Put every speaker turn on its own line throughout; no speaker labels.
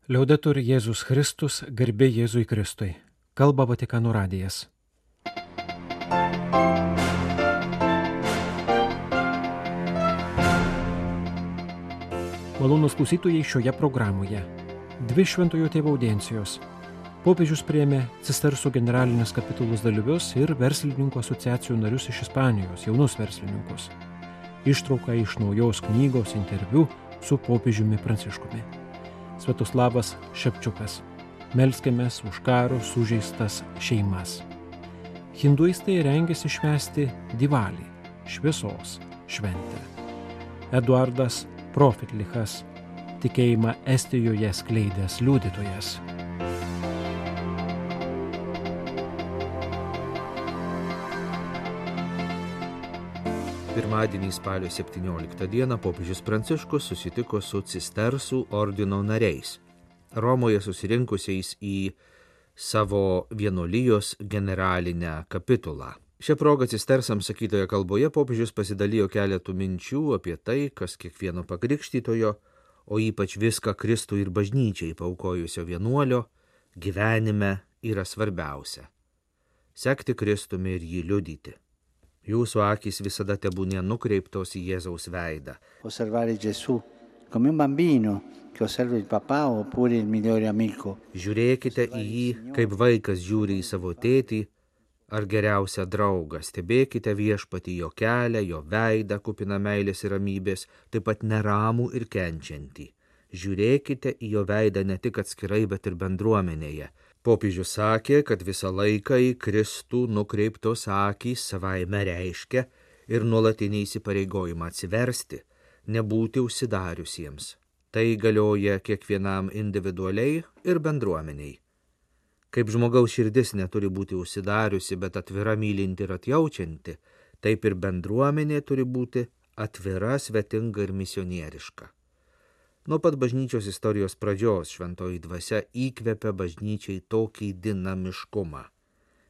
Liaudetur Jėzus Kristus, garbė Jėzui Kristui. Kalba Vatikano radijas. Malonūs klausytojai šioje programoje. 2 Šventojo Tėvo audiencijos. Popiežius priėmė Cistersų generalinės kapitulos dalyvius ir verslininkų asociacijų narius iš Ispanijos, jaunus verslininkus. Ištrauka iš naujos knygos interviu su popiežiumi Pranciškumi. Sviatoslavas Šepčiukas. Melskimės už karo sužeistas šeimas. Hinduistai rengiasi švęsti Divalį, šviesos šventę. Eduardas Profitlichas, tikėjimą Estijoje skleidęs liudytojas.
Pirmadienį spalio 17 dieną popiežius Pranciškus susitiko su Cistersų ordino nariais, Romoje susirinkusiais į savo vienuolijos generalinę kapitulą. Šią progą Cistersams sakytoje kalboje popiežius pasidalijo keletų minčių apie tai, kas kiekvieno pakrikštytojo, o ypač viską Kristui ir bažnyčiai paaukojusio vienuolio gyvenime yra svarbiausia – sekti Kristumi ir jį liudyti. Jūsų akys visada tebūnie nukreiptos į Jėzaus veidą.
Osservare Gesù come un bambino che osserva il papà oppure il migliore amico.
Žiūrėkite į jį, kaip vaikas žiūri į savo tėtį ar geriausią draugą. Stebėkite viešpatį jo kelią, jo veidą, kupiną meilės ir ramybės, taip pat neramų ir kenčiantį. Žiūrėkite į jo veidą ne tik atskirai, bet ir bendruomenėje. Popiežius sakė, kad visą laiką į Kristų nukreiptos akys savaime reiškia ir nuolatinį įsipareigojimą atsiversti, nebūti užsidariusiems. Tai galioja kiekvienam individualiai ir bendruomeniai. Kaip žmogaus širdis neturi būti užsidariusi, bet atvira, mylinti ir atjaučianti, taip ir bendruomenė turi būti atvira, svetinga ir misionieriška. Nuo pat bažnyčios istorijos pradžios šventoji dvasia įkvepia bažnyčiai tokį dinamiškumą,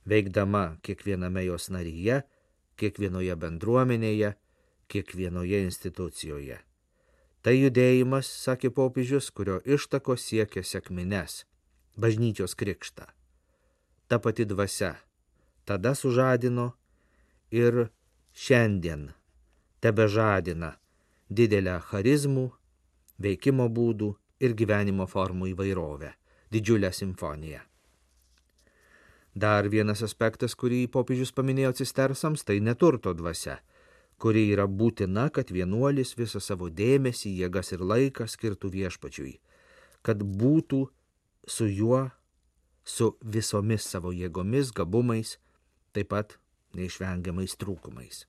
veikdama kiekviename jos naryje, kiekvienoje bendruomenėje, kiekvienoje institucijoje. Tai judėjimas, sakė popiežius, kurio ištakos siekia sekmines, bažnyčios krikštą. Ta pati dvasia tada sužadino ir šiandien tebežadina didelę charizmų, veikimo būdų ir gyvenimo formų įvairovę, didžiulę simfoniją. Dar vienas aspektas, kurį popiežius paminėjo Cistersams, tai neturto dvasia, kuri yra būtina, kad vienuolis visą savo dėmesį, jėgas ir laiką skirtų viešpačiui, kad būtų su juo, su visomis savo jėgomis, gabumais, taip pat neišvengiamais trūkumais.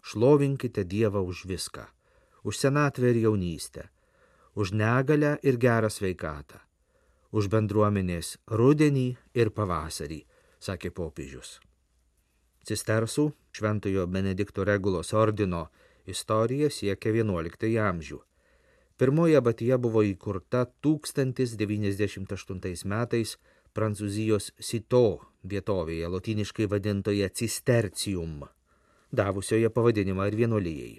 Šlovinkite Dievą už viską, už senatvę ir jaunystę, už negalę ir gerą sveikatą, už bendruomenės rudenį ir pavasarį, sakė popiežius. Cistersų Šventojo Benedikto Regulos ordino istorija siekia 11 amžių. Pirmoji abatija buvo įkurta 1098 metais Prancūzijos Sito vietovėje, lotyniškai vadintoje Cistercium, davusioje pavadinimą ir vienuolijai.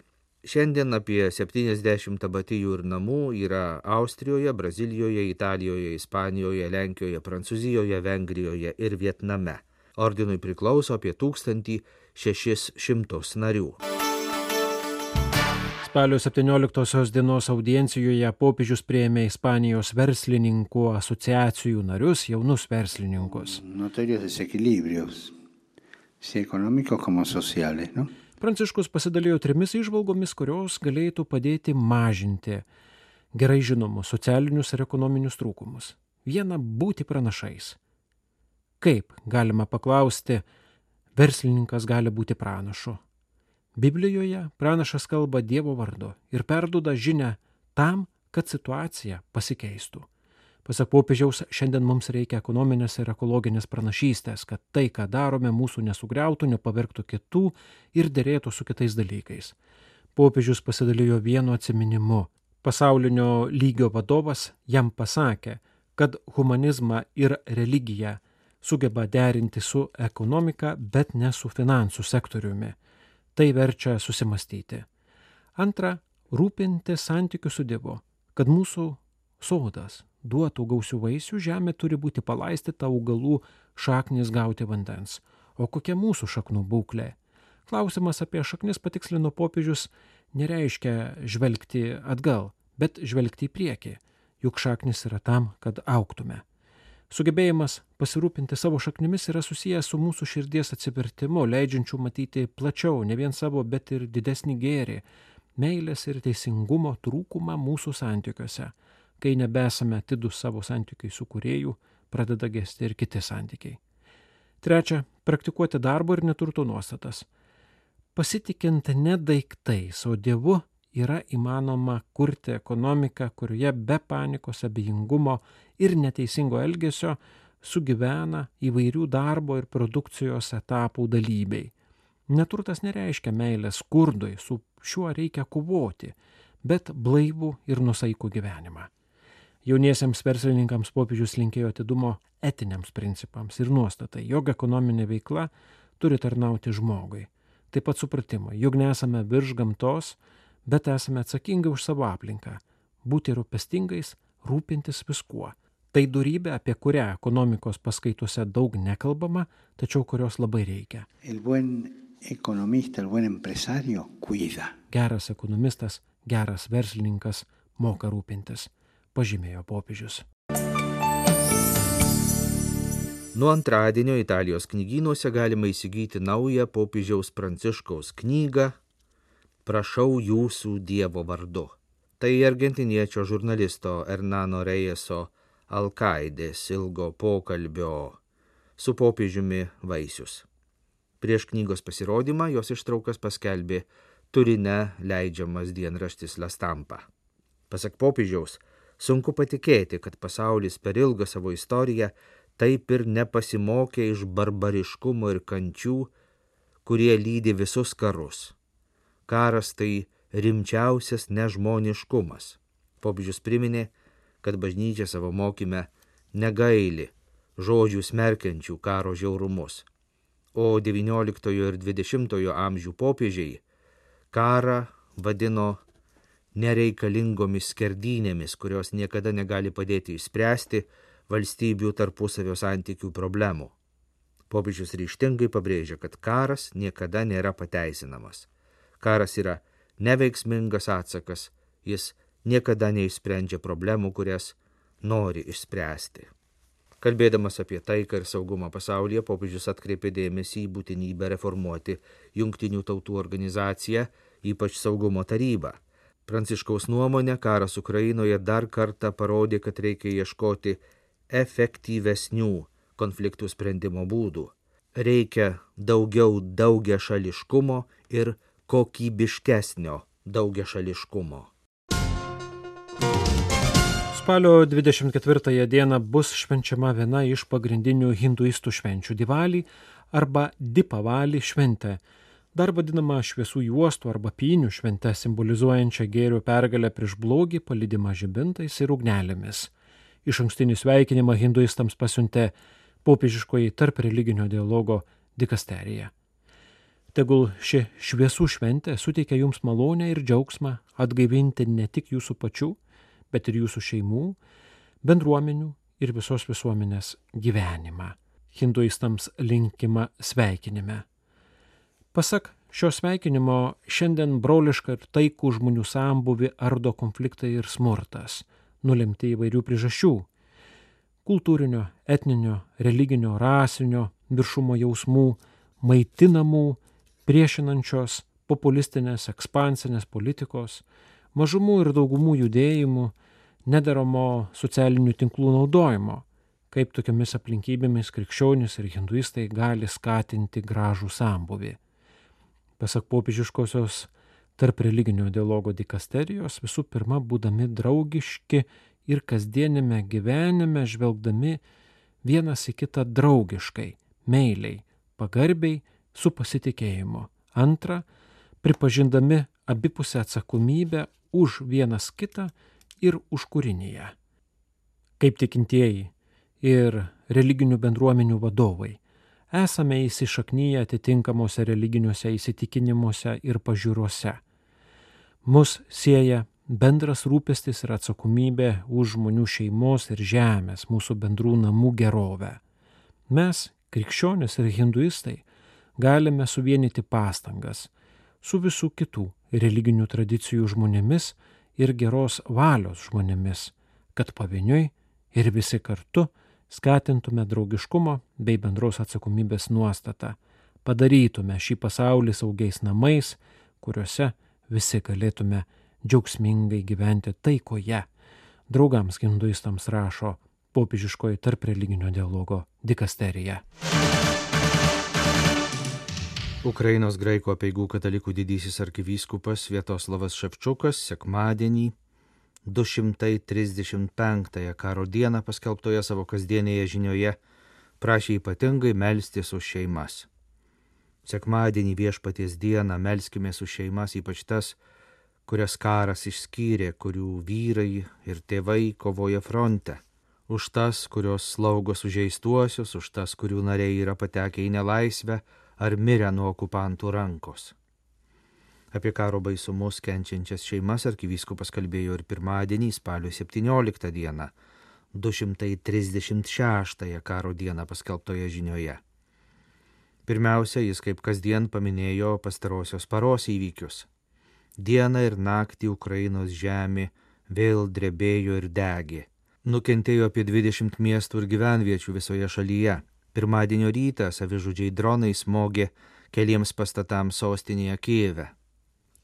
Šiandien apie 70 abatijų ir namų yra Austrijoje, Brazilijoje, Italijoje, Ispanijoje, Lenkijoje, Prancūzijoje, Vengrijoje ir Vietname. Ordinui priklauso apie 1600 narių.
Spalio 17 dienos audiencijoje popiežius priėmė Ispanijos verslininkų asociacijų narius, jaunus verslininkus.
Notorios desequilibrios, sia económicos como sociales, ¿no?
Pranciškus pasidalijo 3 įžvalgomis, kurios galėtų padėti mažinti gerai žinomus socialinius ir ekonominius trūkumus. Viena, būti pranašais. Kaip, galima paklausti, verslininkas gali būti pranašu? Biblijoje pranašas kalba Dievo vardu ir perduoda žinią tam, kad situacija pasikeistų. Pasak popiežiaus, šiandien mums reikia ekonominės ir ekologinės pranašystės, kad tai, ką darome, mūsų nesugriautų, nepavergtų kitų ir derėtų su kitais dalykais. Popiežius pasidalijo vienu atsiminimu. Pasaulinio lygio vadovas jam pasakė, kad humanizmą ir religiją sugeba derinti su ekonomika, bet ne su finansų sektoriumi. Tai verčia susimastyti. Antra, rūpinti santykių su Dievu, kad mūsų sodas duotų gausių vaisių, žemė turi būti palaistyta augalų šaknis gauti vandens. O kokia mūsų šaknų būklė? Klausimas apie šaknis, patikslino popiežius, nereiškia žvelgti atgal, bet žvelgti į priekį, juk šaknis yra tam, kad augtume. Sugebėjimas pasirūpinti savo šaknimis yra susijęs su mūsų širdies atsivertimu, leidžiančiu matyti plačiau, ne vien savo, bet ir didesnį gėrį, meilės ir teisingumo trūkumą mūsų santykiuose. Kai nebesame atidūs savo santykiai su kūrėju, pradeda gesti ir kiti santykiai. Trečia, praktikuoti darbo ir neturto nuostatas. Pasitikint ne daiktais, o Dievu yra įmanoma kurti ekonomiką, kurioje be panikos, abejingumo ir neteisingo elgesio sugyvena įvairių darbo ir produkcijos etapų dalyviai. Neturtas nereiškia meilės skurdui, su šiuo reikia kovoti, bet blaivų ir nusaikų gyvenimą. Jauniesiems verslininkams popiežius linkėjo atidumo etiniams principams ir nuostatai, jog ekonominė veikla turi tarnauti žmogui. Taip pat supratimo, jog nesame virš gamtos, bet esame atsakingi už savo aplinką, būti rūpestingais, rūpintis viskuo. Tai dorybė, apie kurią ekonomikos paskaitose daug nekalbama, tačiau kurios labai reikia.
El buen economista, el buen empresario, cuida.
Geras ekonomistas, geras verslininkas moka rūpintis, pažymėjo popiežius.
Nuo antradienio Italijos knygynuose galima įsigyti naują popiežiaus Pranciškaus knygą Prašau jūsų Dievo vardu. Tai argentiniečio žurnalisto Hernano Reyeso Alkaidės ilgo pokalbio su popiežiumi vaisius. Prieš knygos pasirodymą jos ištraukas paskelbė Turine leidžiamas dienraštis La Stampa. Pasak popiežiaus, sunku patikėti, kad pasaulis per ilgą savo istoriją taip ir nepasimokė iš barbariškumo ir kančių, kurie lydi visus karus. Karas tai rimčiausias nežmoniškumas. Popiežius priminė, kad bažnyčia savo mokyme negaili žodžių smerkiančių karo žiaurumus, o XIX ir XX amžių popiežiai karą vadino nereikalingomis skerdynėmis, kurios niekada negali padėti išspręsti valstybių tarpusavio santykių problemų. Popiežius ryžtingai pabrėžia, kad karas niekada nėra pateisinamas. Karas yra neveiksmingas atsakas, jis niekada neišsprendžia problemų, kurias nori išspręsti. Kalbėdamas apie taiką ir saugumą pasaulyje, popiežius atkreipė dėmesį į būtinybę reformuoti Jungtinių tautų organizaciją, ypač saugumo tarybą. Pranciškaus nuomonė, karas Ukrainoje dar kartą parodė, kad reikia ieškoti efektyvesnių konfliktų sprendimo būdų. Reikia daugiau daugiašališkumo ir kokybiškesnio daugiašališkumo.
Spalio 24 dieną bus švenčiama viena iš pagrindinių hinduistų švenčių – Divalį arba Dipavali šventė, dar vadinama šviesų juostų arba pynių švente, simbolizuojančia gėrio pergalę prieš blogį, palydimą žibintais ir ugnelėmis. Išankstinį sveikinimą hinduistams pasiuntė popiežiškoji tarp religinio dialogo dikasterija. Tegul ši šviesų šventė suteikia jums malonę ir džiaugsmą atgaivinti ne tik jūsų pačių, bet ir jūsų šeimų, bendruomenių ir visos visuomenės gyvenimą. Hinduistams linkima sveikinime. Pasak šio sveikinimo, šiandien broliška ir taikų žmonių sambūvį ardo konfliktai ir smurtas, nulemti įvairių priežasčių – kultūrinio, etninio, religinio, rasinio, viršumo jausmų, maitinamų, priešinančios, populistinės, ekspansinės politikos, mažumų ir daugumų judėjimų, nederamo socialinių tinklų naudojimo, kaip tokiamis aplinkybėmis krikščionys ir hinduistai gali skatinti gražų sambūvį. Pasak popiežiškosios tarp religinio dialogo dikasterijos, visų pirma, būdami draugiški ir kasdienime gyvenime žvelgdami vienas į kitą draugiškai, meiliai, pagarbiai, su pasitikėjimu. Antra, pripažindami abipusę atsakomybę už vienas kitą ir už kūriniją. Kaip tikintieji ir religinių bendruomenių vadovai, esame įsišaknyję atitinkamuose religiniuose įsitikinimuose ir pažiūrose. Mus sieja bendras rūpestis ir atsakomybė už žmonių šeimos ir žemės, mūsų bendrų namų gerovę. Mes, krikščionys ir hinduistai, galime suvienyti pastangas su visų kitų religinių tradicijų žmonėmis ir geros valios žmonėmis, kad pavieniui ir visi kartu skatintume draugiškumo bei bendros atsakomybės nuostatą, padarytume šį pasaulį saugiais namais, kuriuose visi galėtume džiaugsmingai gyventi taikoje. Draugams hinduistams rašo popiežiškoji tarp religinio dialogo dikasterija.
Ukrainos graikų apeigų katalikų didysis arkivyskupas Sviatoslavas Ševčukas sekmadienį 235 karo dieną paskelbtoje savo kasdienėje žinioje prašė ypatingai melstis už šeimas. Sekmadienį Viešpaties dieną melskimės už šeimas, ypač tas, kurias karas išskyrė, kurių vyrai ir tėvai kovoja fronte, už tas, kurios slaugo sužeistuosius, už tas, kurių nariai yra patekę į nelaisvę ar mirę nuo okupantų rankos. Apie karo baisumus kenčiančias šeimas arkivyskupas kalbėjo ir pirmadienį, spalio 17 dieną, 236 karo dieną paskelbtoje žinioje. Pirmiausia, jis kaip kasdien paminėjo pastarosios paros įvykius. Dieną ir naktį Ukrainos žemė vėl drebėjo ir degė. Nukentėjo apie 20 miestų ir gyvenviečių visoje šalyje. Pirmadienio rytą savižudžiai dronai smogė keliems pastatams sostinėje Kijeve.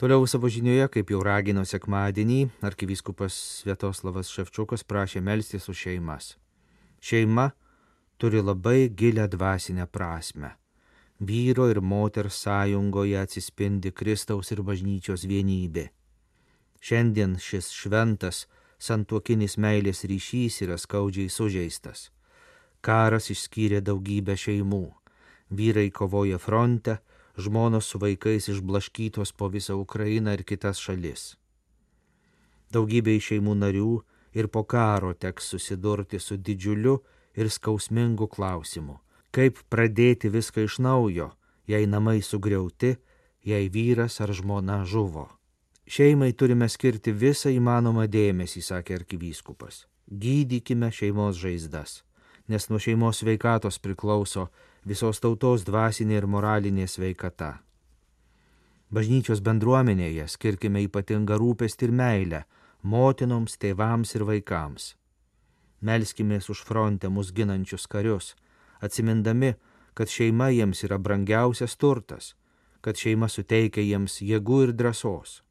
Toliau savo žinioje, kaip jau ragino sekmadienį, arkivyskupas Sviatoslavas Ševčukas prašė melstis už šeimas. Šeima turi labai gilią dvasinę prasmę. Vyro ir moters sąjungoje atsispindi Kristaus ir bažnyčios vienybė. Šiandien šis šventas santuokinis meilės ryšys yra skaudžiai sužeistas. Karas išskyrė daugybę šeimų. Vyrai kovoja fronte, žmonos su vaikais išblaškytos po visą Ukrainą ir kitas šalis. Daugybė šeimų narių ir po karo teks susidurti su didžiuliu ir skausmingu klausimu. Kaip pradėti viską iš naujo, jei namai sugriauti, jei vyras ar žmona žuvo. Šeimai turime skirti visą įmanomą dėmesį, sakė arkivyskupas. Gydykime šeimos žaizdas, nes nuo šeimos sveikatos priklauso visos tautos dvasinė ir moralinė sveikata. Bažnyčios bendruomenėje skirkime ypatingą rūpestį ir meilę motinoms, tėvams ir vaikams. Melskimės už fronte mus ginančius karius, atsimindami, kad šeima jiems yra brangiausias turtas, kad šeima suteikia jiems jėgų ir drąsos.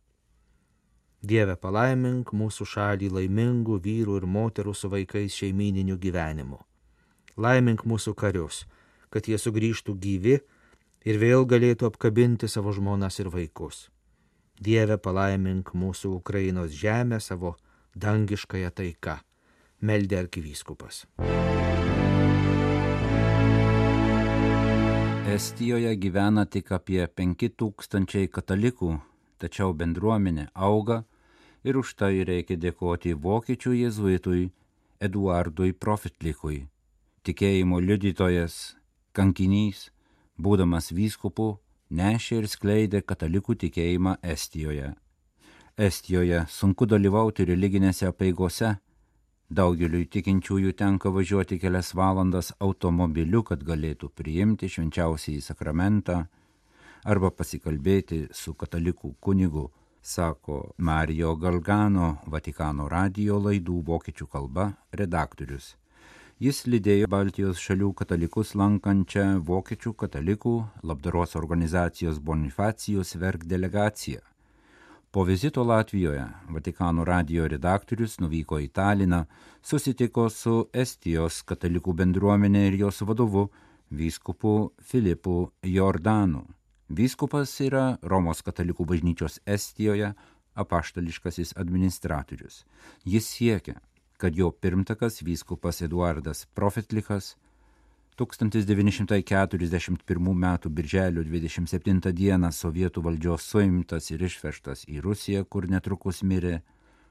Dieve, palaimink mūsų šalį laimingų vyrų ir moterų su vaikais šeimyniniu gyvenimu. Laimink mūsų karius, kad jie sugrįžtų gyvi ir vėl galėtų apkabinti savo žmonas ir vaikus. Dieve, palaimink mūsų Ukrainos žemę savo dangiškąją taiką, meldė arkivyskupas.
Estijoje gyvena tik apie 5000 katalikų, tačiau bendruomenė auga ir už tai reikia dėkoti vokiečių jėzuitui Eduardui Profitlikui. Tikėjimo liudytojas, kankinys, būdamas vyskupu, nešė ir skleidė katalikų tikėjimą Estijoje. Estijoje sunku dalyvauti religinėse apeigose. Daugeliui tikinčiųjų tenka važiuoti kelias valandas automobiliu, kad galėtų priimti švenčiausiąjį sakramentą arba pasikalbėti su katalikų kunigu, sako Mario Galgano, Vatikano radijo laidų vokiečių kalba redaktorius. Jis lydėjo Baltijos šalių katalikus lankančią vokiečių katalikų labdaros organizacijos Bonifacijus Verk delegaciją. Po vizito Latvijoje Vatikano radijo redaktorius nuvyko į Taliną, susitiko su Estijos katalikų bendruomenė ir jos vadovu, vyskupu Filipu Jordanu. Vyskupas yra Romos katalikų bažnyčios Estijoje apaštališkasis administratorius. Jis siekia, kad jo pirmtakas vyskupas Eduardas Profitlikas 1941 m. birželio 27 d. sovietų valdžios suimtas ir išvežtas į Rusiją, kur netrukus mirė,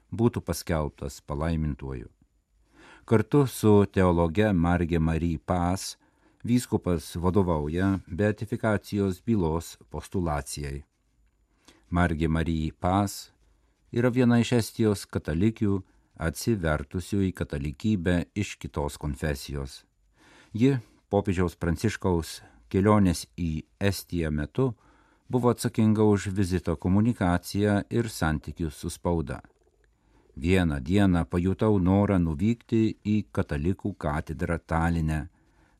būtų paskelbtas palaimintuoju. Kartu su teologe Marge Marie Pas vyskupas vadovauja beatifikacijos bylos postulacijai. Marge Marie Pas yra viena iš Estijos katalikių atsivertusių į katalikybę iš kitos konfesijos. Ji popiežiaus Pranciškaus kelionės į Estiją metu buvo atsakinga už vizito komunikaciją ir santykius su spauda. Vieną dieną pajutau norą nuvykti į katalikų katedrą Taline,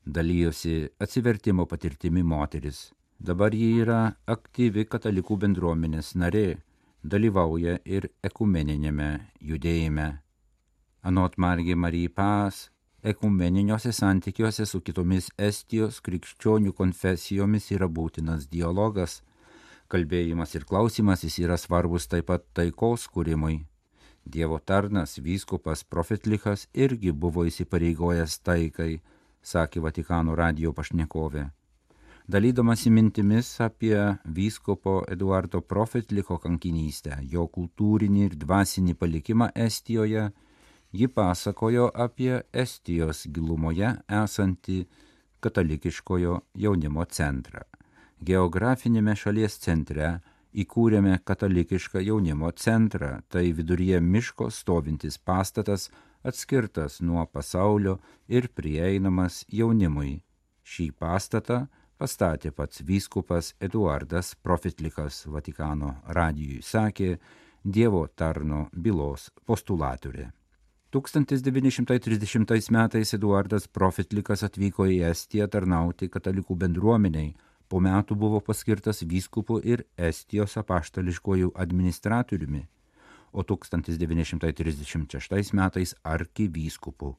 dalijosi atsivertimo patirtimi moteris. Dabar ji yra aktyvi katalikų bendruomenės narė, dalyvauja ir ekumeninėme judėjime. Anot Margi Marie Pas, ekumeniniuose santykiuose su kitomis Estijos krikščionių konfesijomis yra būtinas dialogas. Kalbėjimas ir klausimasis yra svarbus taip pat taikos kūrimui. Dievo tarnas vyskupas Profetlichas irgi buvo įsipareigojęs taikai, sakė Vatikano radijo pašnekovė. Dalydamasi mintimis apie vyskupo Eduardo Profetlicho kankinystę, jo kultūrinį ir dvasinį palikimą Estijoje, ji pasakojo apie Estijos gilumoje esantį katalikiškojo jaunimo centrą. Geografinėme šalies centre įkūrėme katalikišką jaunimo centrą, tai viduryje miško stovintis pastatas, atskirtas nuo pasaulio ir prieinamas jaunimui. Šį pastatą pastatė pats vyskupas Eduardas Profetlichas, Vatikano radijui sakė Dievo tarno bylos postulatorė. 1930 metais Eduardas Profetlichas atvyko į Estiją tarnauti katalikų bendruomeniai. Po metų buvo paskirtas vyskupu ir Estijos apaštališkuoju administratoriumi, o 1936 metais arkivyskupu.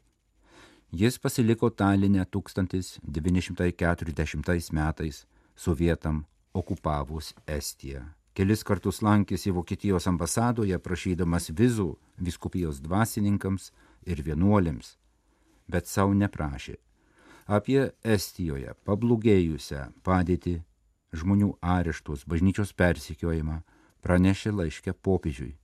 Jis pasiliko Taline 1940 metais, sovietam okupavus Estiją. Kelis kartus lankėsi Vokietijos ambasadoje prašydamas vizų vyskupijos dvasininkams ir vienuolėms, bet savo neprašė. Apie Estijoje pablogėjusią padėtį, žmonių areštus, bažnyčios persekiojimą pranešė laiške popiežiui.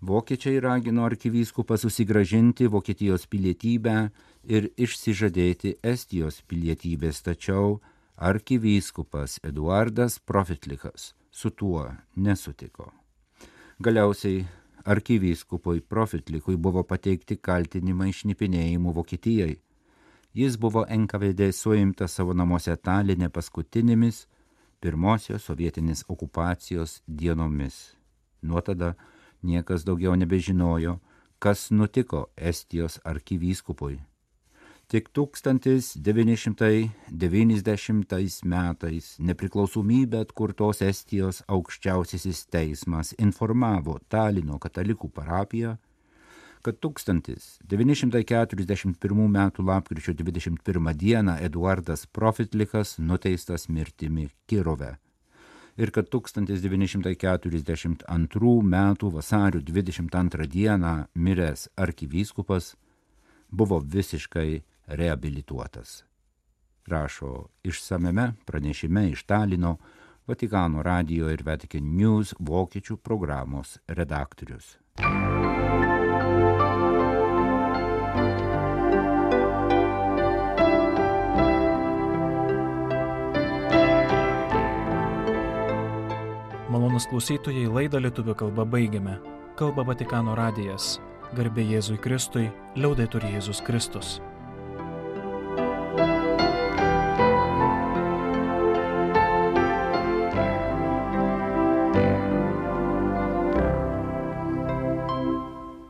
Vokiečiai ragino arkivyskupą susigrąžinti Vokietijos pilietybę ir išsižadėti Estijos pilietybės, tačiau arkivyskupas Eduardas Profetlichas su tuo nesutiko. Galiausiai arkivyskupui Profetlichui buvo pateikti kaltinimai šnipinėjimu Vokietijai. Jis buvo NKVD suimtas savo namuose Taline paskutinėmis pirmosios sovietinės okupacijos dienomis. Nuo tada niekas daugiau nebežinojo, kas nutiko Estijos arkivyskupui. Tik 1990 metais nepriklausomybę atkurtos Estijos aukščiausiasis teismas informavo Talino katalikų parapiją, kad 1941 metų lapkričio 21 dieną Eduardas Profetlichas nuteistas mirtimi Kirove ir kad 1942 metų vasario 22 dieną miręs arkivyskupas buvo visiškai reabilituotas. Rašo išsamiame pranešime iš Talino Vatikano radijo ir Vatican News vokiečių programos redaktorius.
Malonūs klausytojai, laidą lietuvių kalba baigiame. Kalba Vatikano radijas. Garbė Jėzui Kristui, liaudetur Jėzus Kristus.